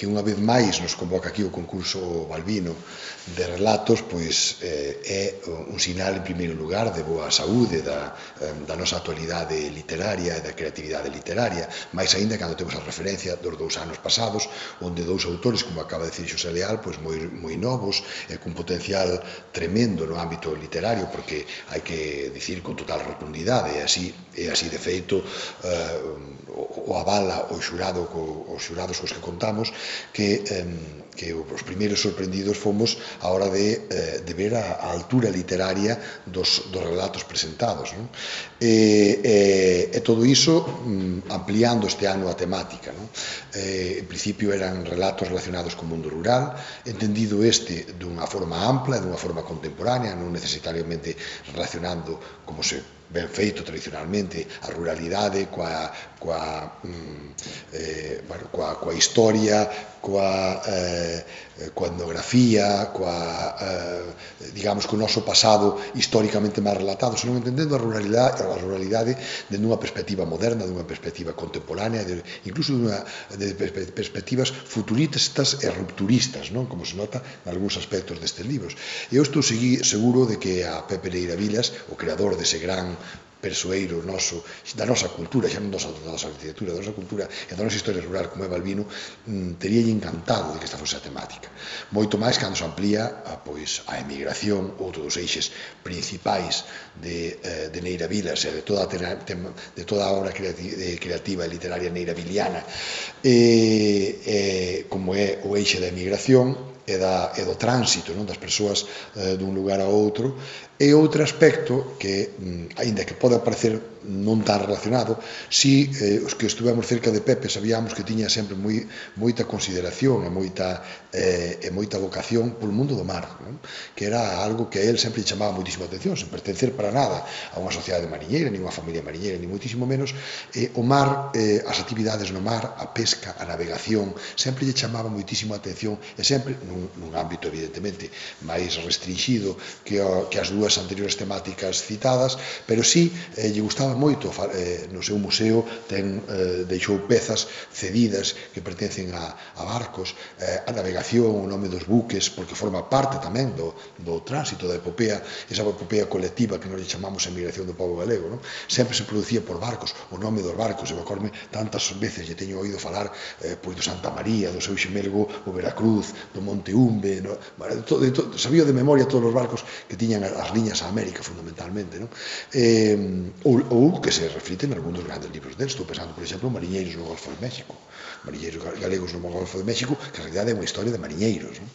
que unha vez máis nos convoca aquí o concurso Balbino de relatos, pois é un sinal en primeiro lugar de boa saúde da nosa actualidade literaria e da creatividade literaria, máis aínda cando temos a referencia dos 2 anos pasados, onde 2 autores, como acaba de dicir Xosé Leal, pois moi novos e cun potencial tremendo no ámbito literario, porque hai que dicir con total rotundidade, e así de feito o avala os xurados cos que contamos, que os primeiros sorprendidos fomos a hora de ver a altura literaria dos relatos presentados, non? E todo iso ampliando este ano a temática, non? En principio eran relatos relacionados co mundo rural, entendido este dunha forma ampla, dunha forma contemporánea, non necesariamente relacionando, como se ben feito tradicionalmente, a ruralidade coa historia, coa etnografía, digamos, co noso pasado históricamente máis relatado, senón entendendo a ruralidade dende unha perspectiva moderna, dunha perspectiva contemporánea, incluso de perspectivas futuristas e rupturistas, non? Como se nota en algúns aspectos destes libros. Eu estou seguro de que a Pepe Neira Vilas, o creador dese gran persoeiro noso, da nosa cultura, xa non da nosa literatura, da nosa cultura e da nosa historia rural como é Balbino, teríalle encantado de que esta fose a temática. Moito máis cando se amplía a emigración, outro dos eixes principais de Neira Vilas e de toda a obra creativa e literaria neiravilliana, como é o eixe da emigración e do tránsito das persoas dun lugar a outro, e outro aspecto que, aínda que pode parecer non tan relacionado, si os que estuvemos cerca de Pepe sabíamos que tiña sempre moita consideración e moita vocación polo mundo do mar, que era algo que a él sempre chamaba moitísima atención, sen pertencer para nada a unha sociedade mariñeira, nin unha familia mariñeira, ni moitísimo menos. O mar, as actividades no mar, a pesca, a navegación, sempre lle chamaba moitísima atención, e sempre nun ámbito evidentemente máis restringido que as dúas anteriores temáticas citadas, pero sí lle gustaba moito. No seu museo deixou pezas cedidas que pertencen a barcos, a navegación, o nome dos buques, porque forma parte tamén do tránsito da epopea, esa epopea colectiva que nos chamamos a emigración do pobo galego, sempre se producía por barcos, o nome dos barcos, e me tantas veces lle teño oído falar do Santa María, do seu xemelgo o Veracruz, do Monte Umbe, sabía de memoria todos os barcos que tiñan as liñas a América fundamentalmente, ou que se refliten en algún dos grandes libros deles. Estou pensando, por exemplo, Mariñeiros no Golfo de México, Mariñeiros galegos no Golfo de México, que en realidad é unha historia de mariñeiros.